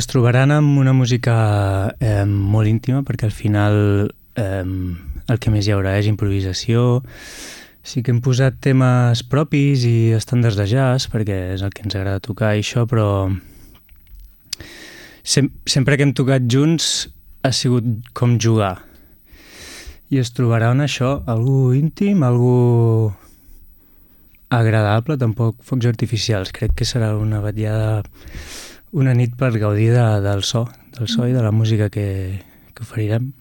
Es trobaran amb una música molt íntima, perquè al final el que més hi haurà és improvisació. Sí que hem posat temes propis i estàndards de jazz, perquè és el que ens agrada tocar i això, però sempre que hem tocat junts ha sigut com jugar. I es trobarà en això, algú íntim, algú agradable, tampoc focs artificials. Crec que serà una vetllada, una nit per gaudir del so i de la música que oferirem.